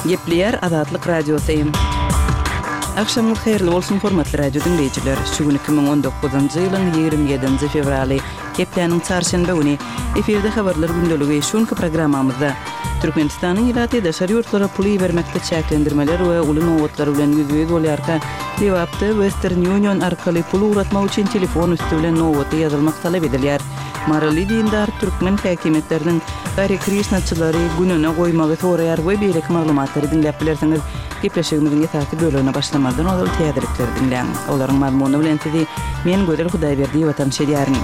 Gepleýär Azatlyk Radiosy. Agşamyňyz haýyrly bolsun, hormatly radio diňleýjiler! Şu gün 2019-njy ýylyň 27-nji fewraly, hepdäniň çarşenbe güni. Efirde Habarlar gündeligi. Şu günki programmamyzda Türkmenistanyň ilaty daşary ýurtlara pul ibermekde çäklendirmeler we uly nobatlar bilen ýüzbe-ýüz bolýarka, Lebapda Western Union arkaly pul ugratmak üçin telefon üsti bilen nobata ýazylmak talap edilýär. Maryly dindar türkmen häkimiýetleriniň Hare Krişnaçylary gününe goýmagy soraýar we beýleki maglumatlary diňläp bilersiňiz. Gepleşigimiziň esasy bölegine başlamazdan ozal täzelikleri diňläň. Olaryň mazmuny bilen sizi men Gözel Hudaýberdiýewa tanyş edýärin.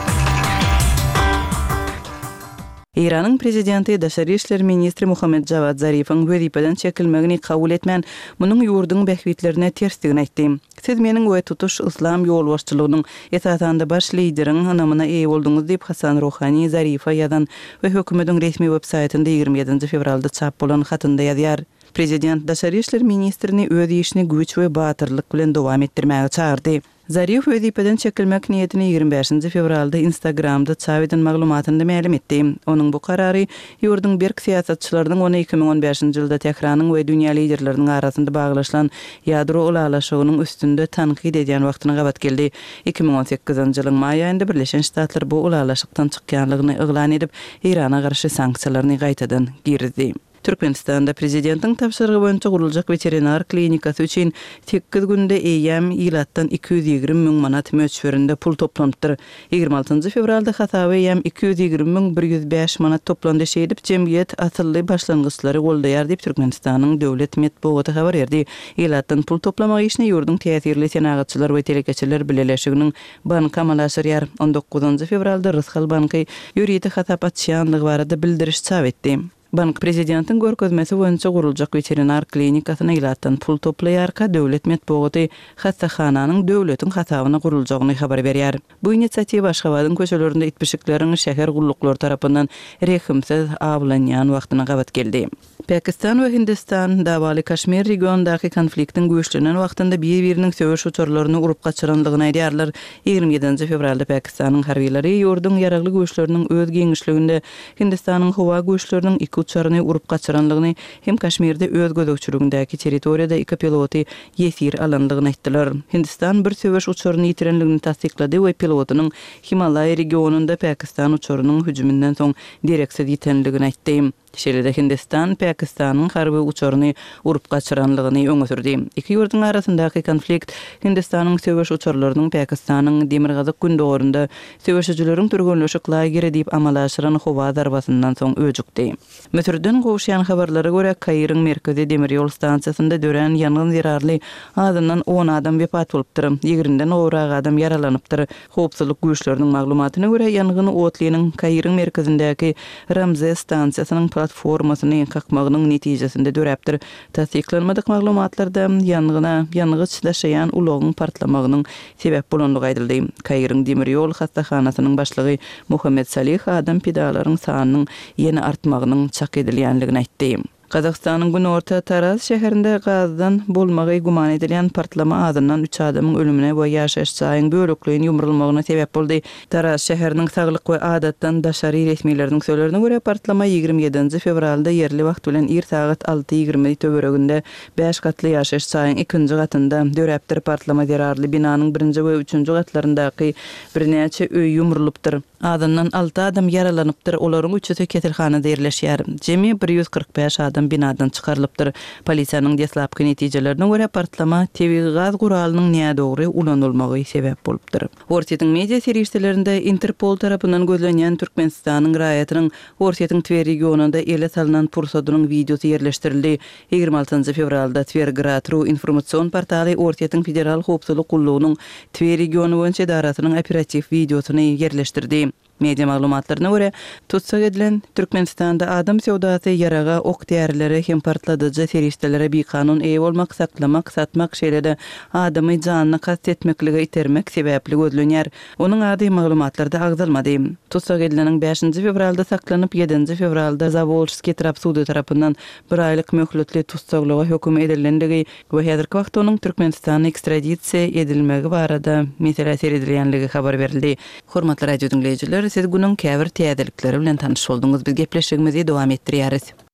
Eýranyň prezidenti, daşary işler ministri Muhammed Jawad Zarifiň wezipeden çekilmegini kabul etmän, munuň ýurduň bähbitlerine tersdigini aýtdy. Siz meniň we tutuş yslam ýolbaşçylygynyň, esasanda baş lideriň ynamyna eýe bolduňyz diýip, Hasan Ruhani Zarife ýazan we hökümetiň resmi websaýtynda 27 nji fewralda çap bolan hatynda ýazýar. Prezident daşary işler ministrini öz işini güýç we batyrlyk bilen dowam etdirmäge çagyrdy. Zarif wezipeden çekilmek niýetini 25 nji fewralda Instagramda çap eden maglumatynda mälim etdi. Onuň bu karary ýurduň berk syýasatçylarynyň ony 2015-nji ýylda Tähranyň we dünýä liderleriniň arasynda baglaşylan ýadro ylalaşygynyň üstünde tankyt edýän wagtyna gabat geldi. 2018-nji ýylyň maý aýynda Birleşen Ştatlar bu ylalaşykdan çykýanlygyny yglan edip, Eýrana garşy sanksiýalaryny gaýtadan girizdi. Türkmenistanda prezidentiň tabşyrygy boýunça guruljak weterinar klinikasy üçin sekiz günde eýýäm ilatdan 220 müň manat möçberinde pul toplanypdyr. 26 fewralda hasaba eýýäm 220 müň 105 manat toplandy, şeýdip jemgyýet asylly başlangyçlary goldaýar diýip Türkmenistanyň döwlet metbugaty habar berdi. Ilatdan pul toplamak işini ýurduň täsirli senagatçylar we telekeçiler bileleşiginiň banky amala aşyrýar. On dokuzynjy fewralda Rysgal banky ýörite hasap açýandygy barada bildiriş çap etdi. Bank prezidentiň görkezmesi boýunça guruljak weterinar klinikasyna ilatdan pul toplaýarka, döwlet metbugaty hassahananyň döwletiň hasabyna guruljagyny habar berýär. Bu inisiatiwa Aşgabadyň köçelerinde it-pişikleriň şäher gulluklary tarapyndan rehimsiz awlanýan wagtyna gabat geldi. Pakistan we Hindistan dawaly Kaşmir regionyndaky konfliktiň güýçlenen wagtynda bir-biriniň söweş uçarlaryny urup gaçyranlygyny aýdýarlar. 27 fewralda Pakistanyň harbylary ýurduň ýaragly güýçleriniň öz giňişliginde Hindistanyň howa güýçleriniň iki uçaryny urup gaçyranlygyny hem Kaşmirde öz gözegçiligindäki territoriýada iki piloty ýesir alanlygyny aýtdylar. Hindistan bir söweş uçaryny ýitirenligini tassyklady we pilotynyň Himalaý regionynda Pakistan uçarynyň hüjüminden soň dereksiz ýitenligini aýtdy. Şeýle-de Hindistan Pakistanyň harby uçaryny urup gaçyranlygyny öňe sürdi. Iki ýurduň arasyndaky konflikt Hindistanyň söweş uçarlarynyň Pakistanyň demirgazyk-gündogarynda Söweşijileriň türgenleşik lageri diýip amala aşyran howa zarbasyndan soň öjükdi. Müsürden gowuşýan habarlara görä, Kairiň merkezi demir ýol stansiýasynda dörän ýangyn zerarly azyndan on adam wepat bolupdyr, ýigrimiden gowrak adam ýaralanypdyr. Howpsuzlyk güýçleriniň maglumatyna görä, ýangyn otlynyň Kairiň merkezindäki Ramzes stansiýasynyň platformasyny kakmagynyň netijesinde döräpdir. Tassyklanmadyk maglumatlarda ýangyna ýangyç daşaýan ulagyň partlamagynyň sebäp bolandygy aýdyldy. Kairiň demir ýol hassahanasynyň başlygy Muhammed Salih adam pidalaryň sanynyň ýene artmagynyň çak edilýändigini aýtdy. Gazagystanyň günorta Taraz şäherinde gazdan bolmagy güman edilýän partlama azyndan üç adamyň ölümine we ýaşaýyş jaýyň bölekleýin ýumrulmagyna sebäp boldy. Taraz şäheriniň saglyk we adatdan daşary resmileriniň sözlerine görä, partlama 27 nji fewralda ýerli wagt bilen ir sagat 6:20 töwereginde Bäş gatly ýaşaýyş jaýyň ikinji gatynda döräpdir. Partlama zerarly binanyň birinji we üçünji gatlaryndaky birnäçe öý ýumrulypdyr. Azyndan alty adam ýaralanypdyr, olaryň üçüsi keselhanada ýerleşýär. Jemi 145 adam binadan çykarylypdyr. Polisiýanyň deslapky netijelerine görä, partlama tebigy gaz guralynyň nädogry ulanylmagy sebäp bolupdyr. Orsýetiň media serişdelerinde Interpol tarapyndan gözlenýän Türkmenistanyň raýatynyň Orsýetiň Twer regionynda ele salnan pursadynyň wideosy ýerleşdirildi. 26 fewralda Twergrad. Ru informasion portaly Orsýetiň Federal howpsuzlyk gullugynyň Twer regiony boýunça edarasynyň operatiw wideosyny ýerleşdirdi. Media maglumatlaryna görä, tussag edilen Türkmenistanda adam söwdasy, ýaraga, ok-därilere hem partladyjy serişdelere bikanun eýe bolmak, saklamak, satmak, şeýle-de adamy janyna kast etmeklige itermek sebäpli gözlenýär. Onuň ady maglumatlarda agzalmady. Tussag edileniň bäşinji fewralda saklanyp, ýedinji fewralda Zawolžskiý etrap sudy tarapyndan bir aýlyk möhletli tussaglyga höküm edilendigi we häzirki wagtda onuň Türkmenistana ekstradisiýa edilmegi barada meselä seredilýänligi habar berildi. Hormatly radio diňleýjiler, siz günüň käbir täzelikleri bilen tanyş bolduňyz. Biz gepleşigimizi dowam etdirýäris.